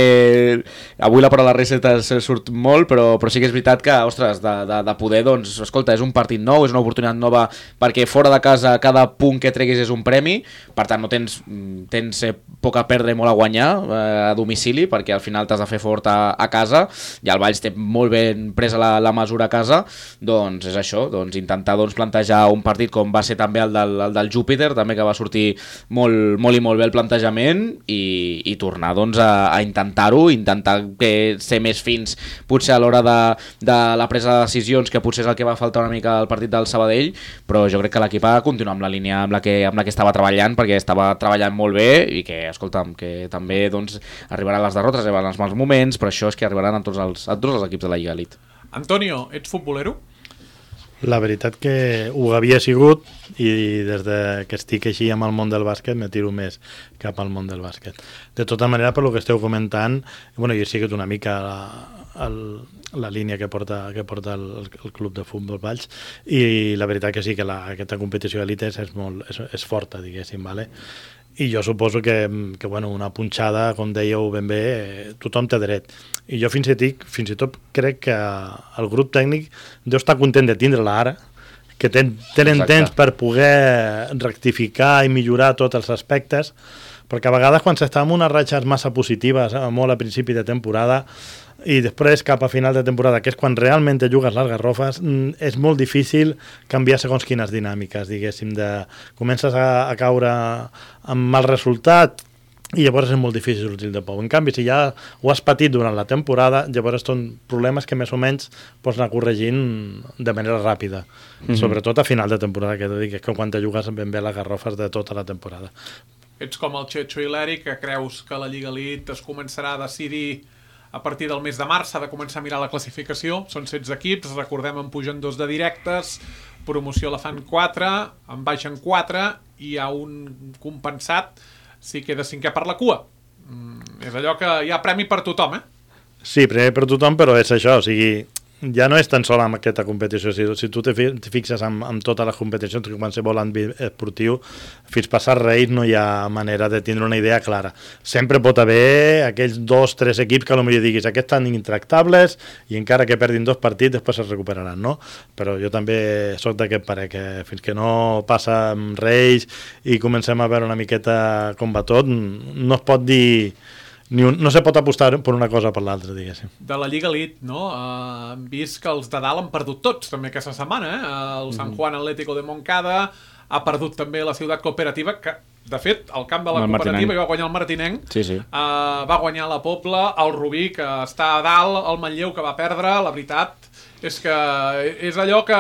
Avui la paraula receta surt molt, però, però sí que és veritat que, ostres, de, de, de poder, doncs, escolta, és un partit nou, és una oportunitat nova, perquè fora de casa cada punt que treguis és un premi, per tant no tens, tens eh, poc a perdre i molt a guanyar eh, a domicili, perquè al final t'has de fer fort a, a casa, i el Valls té molt ben presa la, la mesura a casa, doncs és això, doncs intentar doncs, plantejar un partit com va ser també el del, el del Júpiter, també que va sortir molt, molt i molt bé el plantejament i, i tornar doncs, a, a intentar-ho, intentar que ser més fins potser a l'hora de, de la presa de decisions, que potser és el que va faltar una mica al partit del Sabadell, però jo crec que l'equip ha de continuar amb la línia amb la que, amb la que estava treballant, perquè estava treballant molt bé i que, escolta'm, que també doncs, arribaran les derrotes, arribaran els mals moments, però això és que arribaran a tots els a tots els equips de la Lliga Elite. Antonio, ets futbolero? La veritat que ho havia sigut i des de que estic així amb el món del bàsquet me tiro més cap al món del bàsquet. De tota manera, per lo que esteu comentant, bueno, jo he sigut una mica la, el, la línia que porta, que porta el, el club de futbol Valls i la veritat que sí que la, aquesta competició d'elite és, molt, és, és forta, diguéssim, vale? I jo suposo que, que bueno, una punxada, com dèieu ben bé, eh, tothom té dret. I jo fins i, tic, fins i tot crec que el grup tècnic deu estar content de tindre-la ara, que ten, tenen Exacte. temps per poder rectificar i millorar tots els aspectes, perquè a vegades quan s'està amb unes ratxes massa positives, eh, molt a principi de temporada, i després cap a final de temporada, que és quan realment te jugues les garrofes, és molt difícil canviar segons quines dinàmiques, diguéssim, de comences a, a caure amb mal resultat i llavors és molt difícil sortir de pou. En canvi, si ja ho has patit durant la temporada, llavors són problemes que més o menys pots anar corregint de manera ràpida, mm-hmm. sobretot a final de temporada, que dic, que quan te jugues ben bé les garrofes de tota la temporada. Ets com el Checho i l'Eric, que creus que la Lliga Elite es començarà a decidir a partir del mes de març, s'ha de començar a mirar la classificació, són setze equips, recordem en pugen dos de directes, promoció la fan quatre, en baixen quatre, i hi ha un compensat si queda cinquè per la cua. Mm, és allò que hi ha premi per tothom, eh? Sí, premi per tothom, però és això, o sigui, ja no és tan sola amb aquesta competició, si, si tu te fixes amb, amb totes les competicions, que qualsevol àmbit esportiu, fins passar Reis no hi ha manera de tindre una idea clara. Sempre pot haver aquells dos, tres equips que potser diguis, aquests estan intractables i encara que perdin dos partits després es recuperaran, no? Però jo també soc d'aquest parer, que fins que no passa amb Reis i comencem a veure una miqueta com va tot, no es pot dir... Ni un, no se pot apostar per una cosa o per l'altra, diguéssim. De la Lliga Elite, no? Uh, hem vist que els de dalt han perdut tots, també aquesta setmana, eh? Uh, el San Juan Atlético de Moncada ha perdut també la Ciutat Cooperativa, que, de fet, el camp de la el Cooperativa hi va guanyar el Martinenc, sí, sí. Uh, va guanyar la Pobla, el Rubí, que està a dalt, el Manlleu, que va perdre, la veritat És que és allò que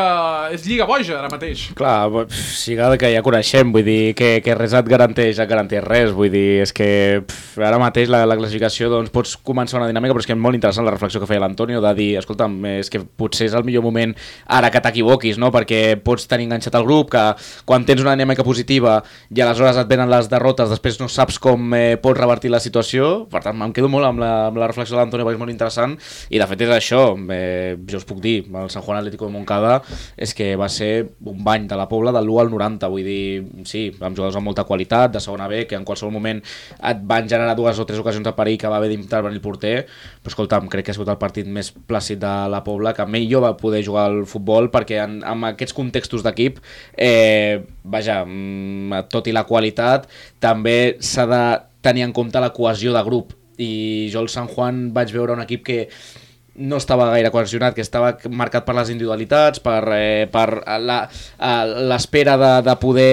és lliga boja ara mateix. Clar, siga que ja coneixem, vull dir que, que res et garanteix, et garanteix res, vull dir, és que pff, ara mateix la, la classificació doncs pots començar una dinàmica, però és que és molt interessant la reflexió que feia l'Antonio de dir, escolta'm, és que potser és el millor moment ara que t'equivoquis, no? Perquè pots tenir enganxat el grup, que quan tens una dinàmica positiva i aleshores et venen les derrotes, després no saps com eh, pots revertir la situació, per tant em quedo molt amb la, amb la reflexió de l'Antonio perquè és molt interessant i de fet és això, eh, jo us puc dir el Sant Juan Atlético de Montcada és que va ser un bany de la Pobla del l'u al noranta, vull dir, sí, amb jugadors amb molta qualitat, de segona B, que en qualsevol moment et van generar dues o tres ocasions de perill que va haver d'intervenir el porter, però escolta'm, crec que ha sigut el partit més plàcid de la Pobla, que millor va poder jugar al futbol, perquè en, en aquests contextos d'equip, eh, vaja, tot i la qualitat, també s'ha de tenir en compte la cohesió de grup, i jo al Sant Juan vaig veure un equip que no estava gaire cohesionat, que estava marcat per les individualitats, per, eh, per l'espera de, de poder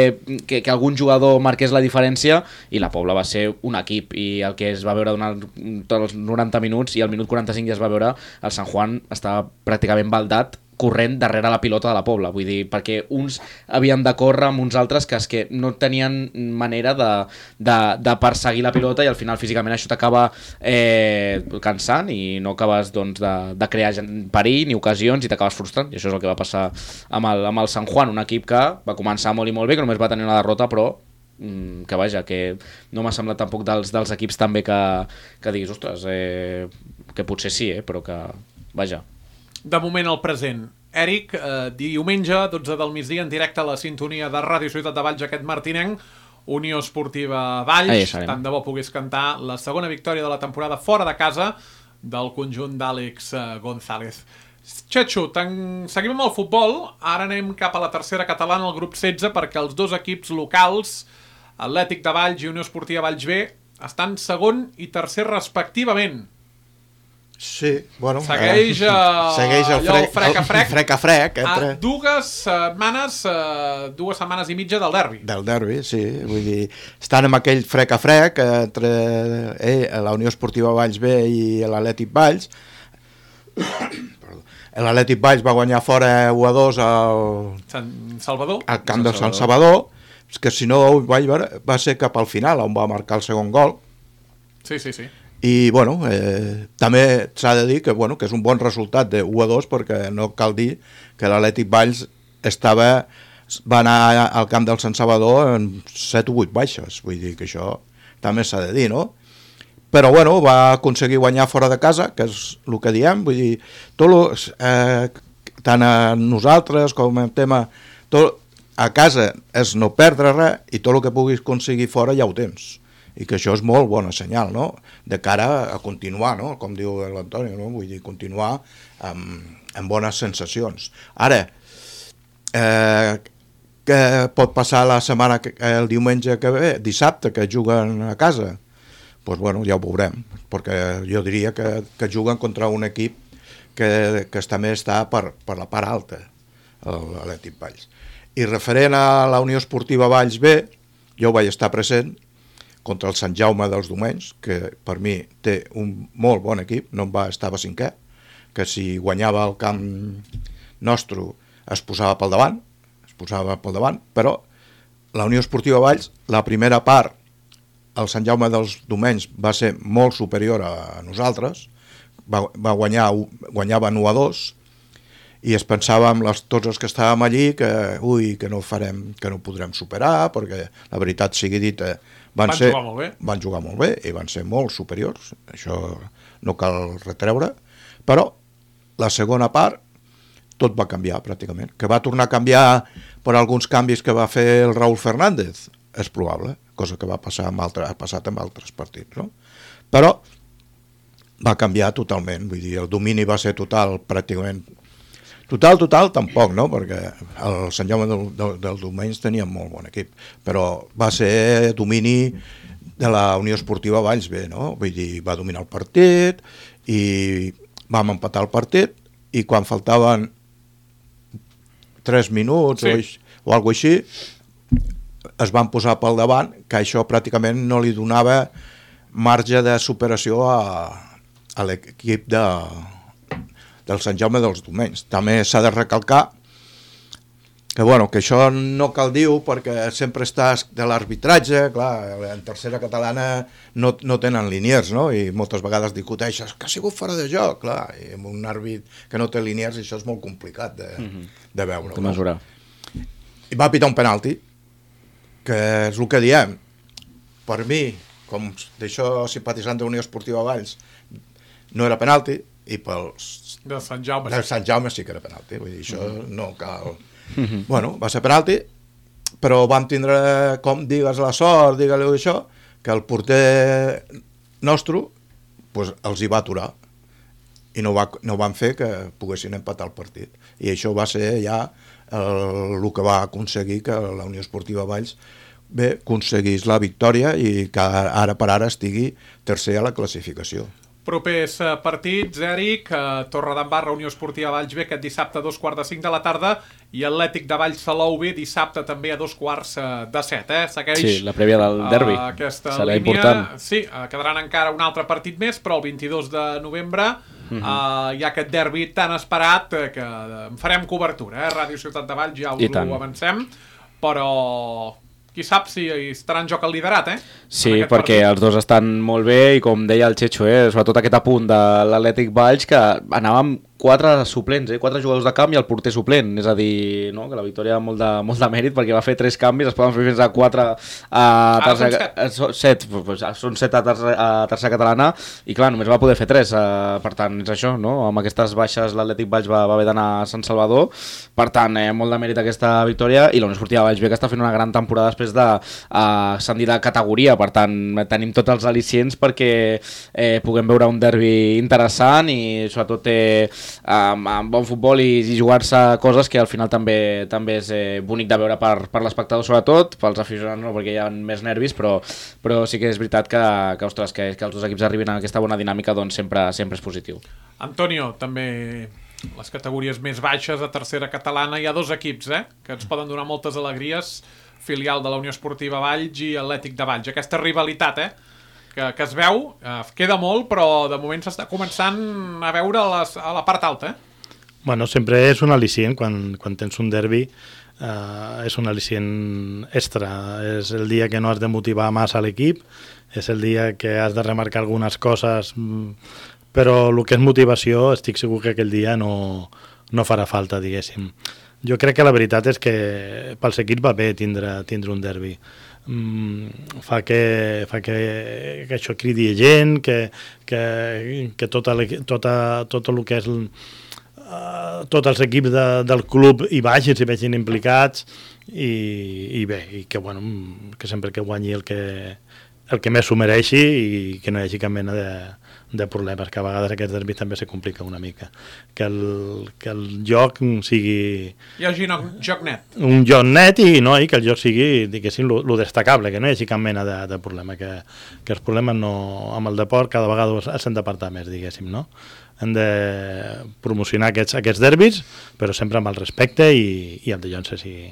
que, que algun jugador marqués la diferència, i la Pobla va ser un equip, i el que es va veure durant tots els noranta minuts i al minut quaranta-cinc ja es va veure el Sant Juan estava pràcticament baldat corrent darrere la pilota de la Pobla, vull dir, perquè uns havien de córrer amb uns altres que és que no tenien manera de, de, de perseguir la pilota i al final físicament això t'acaba eh, cansant i no acabes doncs, de, de crear perill ni ocasions i t'acabes frustrant, i això és el que va passar amb el, amb el Sant Juan, un equip que va començar molt i molt bé, que només va tenir una derrota, però que vaja, que no m'ha semblat tampoc dels, dels equips també que, que diguis, ostres, eh, que potser sí, eh, però que, vaja. De moment el present. Eric, eh, diumenge, dotze del migdia, en directe a la sintonia de Ràdio Ciutat de Valls, aquest martinenc, Unió Esportiva Valls, tant de bo pogués cantar la segona victòria de la temporada fora de casa del conjunt d'Àlex eh, González. Txetxo, seguim amb el futbol, ara anem cap a la tercera catalana, al grup setze, perquè els dos equips locals, Atlètic de Valls i Unió Esportiva Valls B, estan segon i tercer respectivament. Sí, bueno... Segueix, eh, segueix el, allò, frec, frec a frec. frec a frec. Entre... A dues setmanes, eh, dues setmanes i mitja del derbi. Del derbi, sí. Vull dir, estan amb aquell frec a frec entre eh, la Unió Esportiva Valls B i l'Atlètic Valls. L'Atlètic Valls va guanyar fora u a dos al... Sant Salvador. Al camp de Sant Salvador, que si no va ser cap al final on va marcar el segon gol. Sí, sí, sí. I bueno, eh, també s'ha de dir que, bueno, que és un bon resultat de u a dos, perquè no cal dir que l'Atlètic Valls estava, va anar al camp del Sant Salvador en set o vuit baixes, vull dir que això també s'ha de dir, no? Però bueno, va aconseguir guanyar fora de casa, que és el que diem, vull dir, tot lo, eh, tant a nosaltres com el tema, tot, a casa és no perdre res i tot el que puguis aconseguir fora ja ho tens. I que això és molt bona senyal, no? De cara a continuar, no? Com diu l'Antonio, no? Vull dir, continuar amb, amb bones sensacions. Ara, eh, què pot passar la setmana, el diumenge que ve, dissabte, que juguen a casa? Doncs pues, bueno, ja ho veurem, perquè jo diria que, que juguen contra un equip que, que també està per, per la part alta, l'Atlètic Valls. I referent a la Unió Esportiva Valls B, jo vaig estar present, contra el Sant Jaume dels Domenys, que per mi té un molt bon equip, no en va, estava cinquè, que si guanyava el camp nostre es posava pel davant, es posava pel davant, però la Unió Esportiva Valls, la primera part, el Sant Jaume dels Domenys va ser molt superior a nosaltres, va, va guanyar, guanyaven u a dos, i es pensava amb les, tots els que estàvem allí que, ui, que no farem, que no podrem superar, perquè la veritat sigui dita, van, van, ser, jugar molt bé. van jugar molt bé i van ser molt superiors, això no cal retreure, però la segona part tot va canviar pràcticament, que va tornar a canviar per alguns canvis que va fer el Raúl Fernández, és probable, cosa que va passar amb altre, ha passat amb altres partits, no? Però va canviar totalment, vull dir, el domini va ser total pràcticament. Total, total, tampoc, no? Perquè el Sant Jaume del, del, del Domenys tenia molt bon equip, però va ser domini de la Unió Esportiva Valls B, no? Vull dir, va dominar el partit i vam empatar el partit i quan faltaven tres minuts sí. o, o alguna així, es van posar pel davant, que això pràcticament no li donava marge de superació a, a l'equip de del Sant Jaume dels Domenys. També s'ha de recalcar que, bueno, que això no cal dir-ho perquè sempre estàs de l'arbitratge, clar, en tercera catalana no, no tenen liniers, no? I moltes vegades discuteixes que ha sigut fora de joc, clar, i amb un àrbit que no té liniers això és molt complicat de, mm-hmm. de veure. De mesurar. No? I va pitar un penalti, que és el que diem. Per mi, com d'això simpatitzant de Unió Esportiva Valls, no era penalti, i pels... De Sant Jaume. De Sant Jaume sí que era penalti, vull dir, això mm-hmm. no cal... Mm-hmm. Bueno, va ser penalti, però vam tindre, com digues la sort, digue-li això, que el porter nostre pues, els hi va aturar i no, va, no van fer que poguessin empatar el partit. I això va ser ja el, el que va aconseguir que la Unió Esportiva Valls bé, aconseguís la victòria i que ara per ara estigui tercer a la classificació. Propers partits, Eric, Torredembarra, Unió Esportiva Valls B, aquest dissabte a dos quarts de cinc de la tarda, i Atlètic de Valls Salou B, dissabte també a dos quarts de set. Eh? Segueix sí, la prèvia del derbi. Uh, aquesta serà línia. Important. Sí, uh, quedaran encara un altre partit més, però el vint-i-dos de novembre uh-huh. uh, hi ha aquest derbi tan esperat uh, que en farem cobertura. Eh? Ràdio Ciutat de Valls ja us ho avancem, però... qui sap si estarà en joc el liderat, eh? Sí, perquè partit. Els dos estan molt bé i com deia el Checho, eh? Sobretot aquest apunt de l'Atlètic Valls que anàvem quatre suplents, eh? quatre jugadors de camp i el porter suplent, és a dir, no? Que la victòria ha molt de, molt de mèrit perquè va fer tres canvis, es poden fer fins a quatre a tercera, ah, són set, set, són set a tercera, a tercera catalana i clar, només va poder fer tres, eh? Per tant, és això, no? Amb aquestes baixes l'Atlètic Valls va, va haver d'anar a Sant Salvador, per tant, eh, molt de mèrit aquesta victòria i la Unió Esportiva Valls B que està fent una gran temporada després de uh, ascendir de categoria, per tant, tenim tots els al·licients perquè eh, puguem veure un derbi interessant i sobretot eh, amb, amb bon futbol i, i jugar-se coses que al final també també és eh, bonic de veure per, per l'espectador sobretot, pels aficionats no, perquè hi ha més nervis, però, però sí que és veritat que, que, ostres, que, que els dos equips arribin a aquesta bona dinàmica doncs sempre, sempre és positiu. Antonio, també les categories més baixes a tercera catalana hi ha dos equips eh, que ens poden donar moltes alegries, filial de la Unió Esportiva Valls i Atlètic de Valls, aquesta rivalitat eh Que, que es veu, eh, queda molt, però de moment s'està començant a veure a, les, a la part alta. Eh? Bueno, sempre és un al·licient quan, quan tens un derbi, eh, és un al·licient extra. És el dia que no has de motivar massa l'equip, és el dia que has de remarcar algunes coses, però el que és motivació estic segur que aquell dia no, no farà falta, diguéssim. Jo crec que la veritat és que pels equips va bé tindre, tindre un derbi. Mm, fa que, fa que, que això cridi gent, que, que, que tota, tota, tot el que és el, uh, tots els equips de, del club hi vagin, s'hi vegin implicats i, i bé, i que, bueno, que sempre que guanyi el que, el que més s'ho mereixi i que no hi hagi cap mena de, de problemes, que a vegades aquest derbi també se complica una mica. Que el, que el joc sigui... Hi hagi un joc net. Un joc net i, no, i que el joc sigui, diguéssim, lo, lo destacable, que no hi hagi cap mena de, de problema, que, que els problemes no, amb el deport cada vegada s'han d'apartar més, diguéssim, no? Hem de promocionar aquests, aquests derbis, però sempre amb el respecte i, i amb de llances i,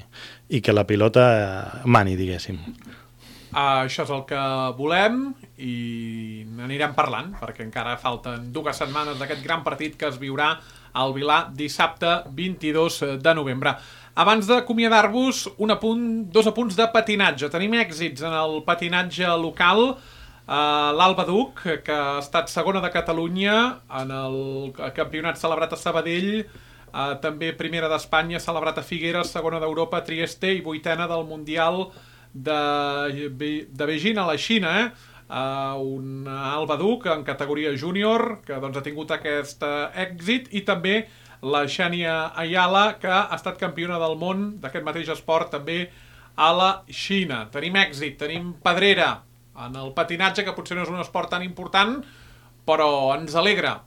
i que la pilota mani, diguéssim. Uh, això és el que volem i n'anirem parlant perquè encara falten dues setmanes d'aquest gran partit que es viurà al Vilà dissabte vint-i-dos de novembre. Abans d'acomiadar-vos, un apunt, dos apunts de patinatge. Tenim èxits en el patinatge local. Uh, l'Alba Duc, que ha estat segona de Catalunya en el campionat celebrat a Sabadell, uh, també primera d'Espanya celebrat a Figueres, segona d'Europa a Trieste i vuitena del Mundial de, de Beijing a la Xina, eh? Uh, un Alba Duc en categoria júnior que doncs, ha tingut aquest èxit i també la Xènia Ayala que ha estat campiona del món d'aquest mateix esport també a la Xina. Tenim èxit, tenim pedrera en el patinatge que potser no és un esport tan important però ens alegra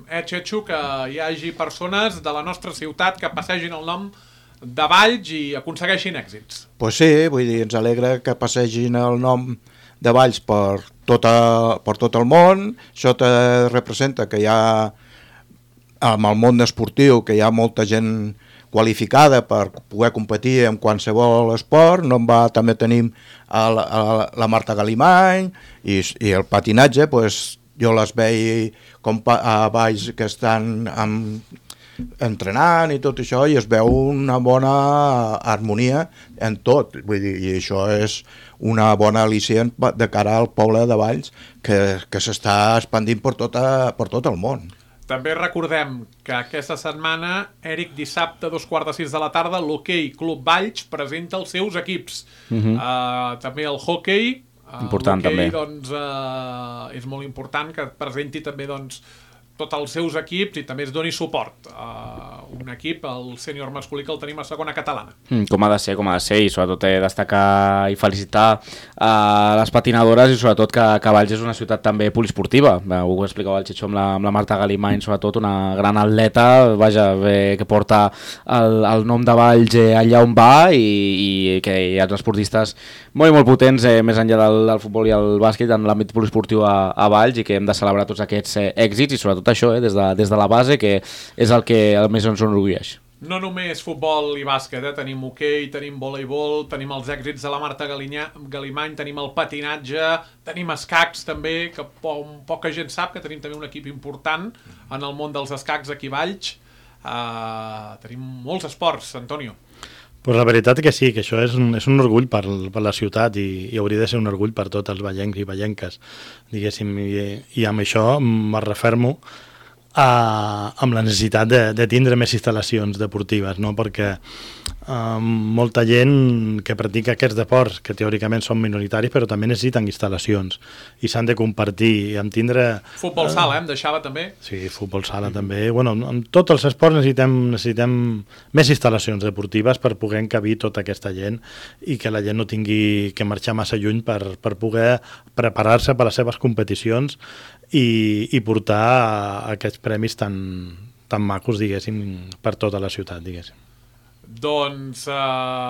eh, Chechu, que hi hagi persones de la nostra ciutat que passegin el nom de Valls i aconsegueixin èxits. Pues sí, vull dir, ens alegra que passegin el nom de Valls per, tota, per tot el món. Això te representa que hi ha, amb el món esportiu, que hi ha molta gent qualificada per poder competir en qualsevol esport. No en va, també tenim a la, a la Marta Galimany i, i el patinatge, pues, jo les veig com a baix que estan amb, entrenant i tot això, i es veu una bona harmonia en tot, vull dir, i això és una bona al·licient de cara al poble de Valls que, que s'està expandint per, tota, per tot el món. També recordem que aquesta setmana, Eric, dissabte, a dos quarts de sis de la tarda, l'Hockey Club Valls presenta els seus equips. Uh-huh. uh, també el hockey, uh, important també. Doncs, uh, és molt important que presenti també doncs, tots els seus equips i també es doni suport a un equip, el sènior masculí, que el tenim a segona catalana. Mm, com ha de ser, com ha de ser, i sobretot eh, destacar i felicitar a les patinadores, i sobretot que, que Valls és una ciutat també poliesportiva. Ho explicava el Xixó amb la, amb la Marta Galimany, sobretot una gran atleta, vaja, eh, que porta el, el nom de Valls eh, allà on va, i, i que hi ha esportistes molt i molt potents, eh, més enllà del, del futbol i el bàsquet, en l'àmbit poliesportiu a, a Valls, i que hem de celebrar tots aquests eh, èxits, i sobretot això, eh, des, de, des de la base, que és el que el més ens enorgulleix. No només futbol i bàsquet, eh? Tenim hoquei, tenim voleibol, tenim els èxits de la Marta Galinya, Galimany, tenim el patinatge, tenim escacs també, que po poca gent sap que tenim també un equip important en el món dels escacs aquí a Valls. Uh, tenim molts esports, Antonio. Pues la veritat que sí, que això és un, és un orgull per, per la ciutat, i, i hauria de ser un orgull per tots els vallencs i vallenques, diguéssim, i, i amb això me refermo a, amb la necessitat de, de tindre més instal·lacions deportives, no? Perquè eh, molta gent que practica aquests deports, que teòricament són minoritaris, però també necessiten instal·lacions i s'han de compartir, i amb tindre... Futbol sala, eh? Em deixava també. Sí, futbol sala també. Bueno, en tots els esports necessitem, necessitem més instal·lacions deportives per poder encabir tota aquesta gent, i que la gent no tingui que marxar massa lluny per, per poder preparar-se per a les seves competicions i, i portar aquests premis tan, tan macos, diguéssim, per tota la ciutat, diguéssim. Doncs eh,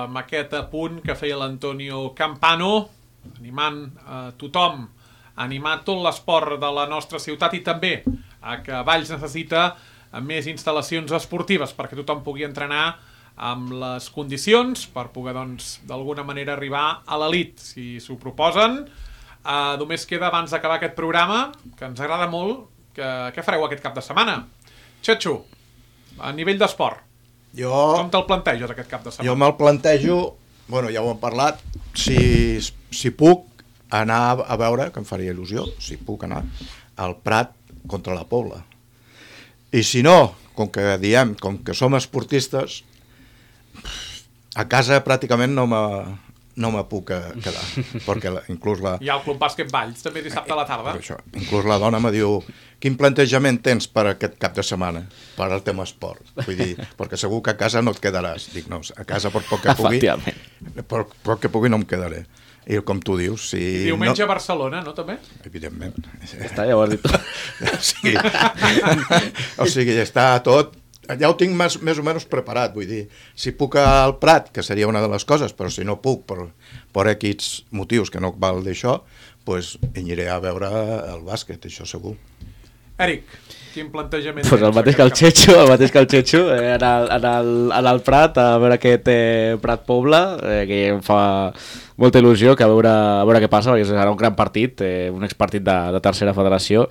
amb aquest apunt que feia l'Antonio Campano, animant eh, tothom, animar tot l'esport de la nostra ciutat, i també eh, que Valls necessita més instal·lacions esportives perquè tothom pugui entrenar amb les condicions per poder, doncs, d'alguna manera arribar a l'elit, si s'ho proposen. Uh, només queda, abans d'acabar aquest programa, que ens agrada molt, que, què fareu aquest cap de setmana? Xetxo, a nivell d'esport, jo, com te'l planteges aquest cap de setmana? Jo me'l plantejo, bueno, ja ho hem parlat, si, si puc anar a veure, que em faria il·lusió, si puc anar al Prat contra la Pobla. I si no, com que diem, com que som esportistes, a casa pràcticament no me... no me puc quedar, perquè la, inclús la... Hi ha el Club Bàsquet Valls, també dissabte a la tarda. Això, inclús la dona me diu, quin plantejament tens per aquest cap de setmana, per al tema esport? Vull dir, perquè segur que a casa no et quedaràs. Dic, no, a casa per poc que pugui, per poc que pugui no em quedaré. I com tu dius, si... I diumenge no... a Barcelona, no, també? Evidentment. Està, ja ho has dit tu. Sí. O sigui, està tot... Ja ho tinc més, més o menys preparat, vull dir, si puc al Prat, que seria una de les coses, però si no puc per, per equips motius que no val d'això, doncs aniré a veure el bàsquet, això segur. Eric, quin plantejament pues el mateix que el Xetxo, el mateix que el Xetxo, eh, anar, anar, anar al Prat a veure aquest eh, Prat Pobla, eh, que em fa molta il·lusió, que a veure, a veure què passa, perquè serà un gran partit, eh, un expartit de, de tercera federació.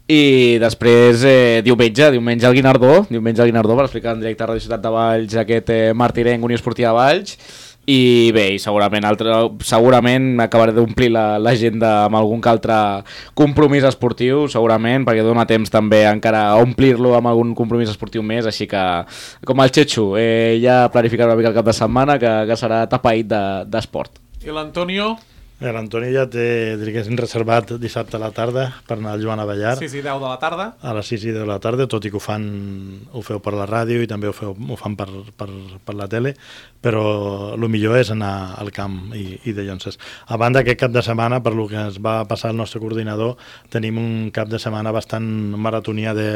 I després, eh, diumenge, diumenge al Guinardó, diumenge al Guinardó, per explicar en directe a Ràdio Ciutat de Valls aquest eh, Martirenc, Unió Esportiva de Valls. I bé, i segurament, altre, segurament acabaré d'omplir l'agenda la, amb algun que altre compromís esportiu, segurament, perquè dona temps també encara a omplir-lo amb algun compromís esportiu més, així que, com el Xetxo, eh, ja planificaré una mica el cap de setmana, que, que serà tapaït d'esport. I l'Antonio? L'Antoni ja té, diguéssim, reservat dissabte a la tarda per anar al Joan Abellar. sis i deu de la tarda. A les sis i deu de la tarda, tot i que ho fan, ho feu per la ràdio i també ho, feu, ho fan per, per, per la tele, però el millor és anar al camp i, i de Llonses. A banda, aquest cap de setmana, per lo que ens va passar el nostre coordinador, tenim un cap de setmana bastant maratonia de,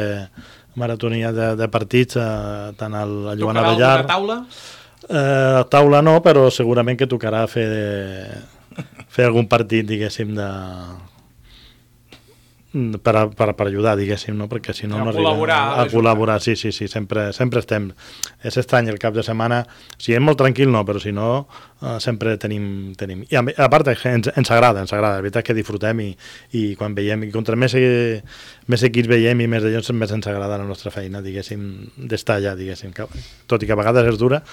maratonia de, de partits, eh, tant al, al Joan Abellar... Tocarà alguna taula? Eh, taula no, però segurament que tocarà fer... De, fer algun partit, diguéssim, de per, a, per, per ajudar, diguéssim, no? Perquè si no A no col·laborar, arriba a, a col·laborar, sí, sí, sí, sempre, sempre estem. És estrany el cap de setmana, si és molt tranquil no, però si no, uh, sempre tenim... tenim. I a, a part ens, ens agrada, ens agrada, la veritat és que disfrutem i, i quan veiem, i contra més, més equips veiem i més d'allò, més ens agrada la nostra feina, diguéssim, d'estar allà, diguéssim, que, tot i que a vegades és dura,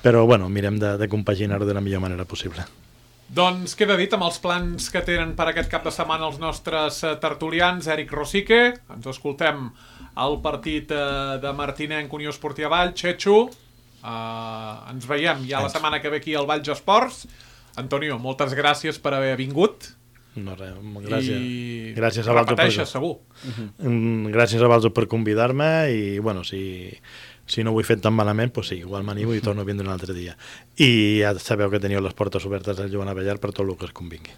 però bueno, mirem de, de compaginar-ho de la millor manera possible. Doncs queda dit amb els plans que tenen per aquest cap de setmana els nostres tertulians. Eric Rosique, ens escoltem al partit de Martinenc, Unió Esportiva Valls. Chechu, uh, ens veiem ja la setmana que ve aquí al Valls Esports. Antonio, moltes gràcies per haver vingut. No, res, gràcies. I gràcies a repeteixes, per... segur. Uh-huh. Gràcies a vosaltres per convidar-me i, bueno, si... si no ho he fet tan malament, doncs sí, igual m'animo i torno a vindre un altre dia. I ja sabeu que teniu les portes obertes del Joan Abellar per tot el que es convingui.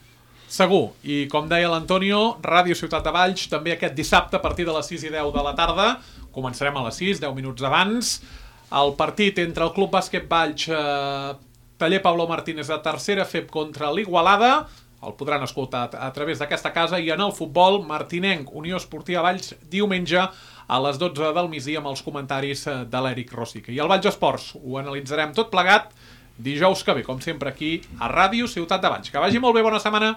Segur, i com deia l'Antonio, Ràdio Ciutat de Valls, també aquest dissabte a partir de les sis i deu de la tarda, començarem a les sis, deu minuts abans, el partit entre el Club Bàsquet Valls, eh, Taller Pablo Martínez de tercera F E P contra l'Igualada, el podran escoltar a través d'aquesta casa, i en el futbol, Martinenc, Unió Esportiva Valls, diumenge, a les dotze del migdia amb els comentaris de l'Eric Rosique. I el Valls Esports ho analitzarem tot plegat dijous que ve, com sempre, aquí a Ràdio Ciutat de Valls. Que vagi molt bé, bona setmana!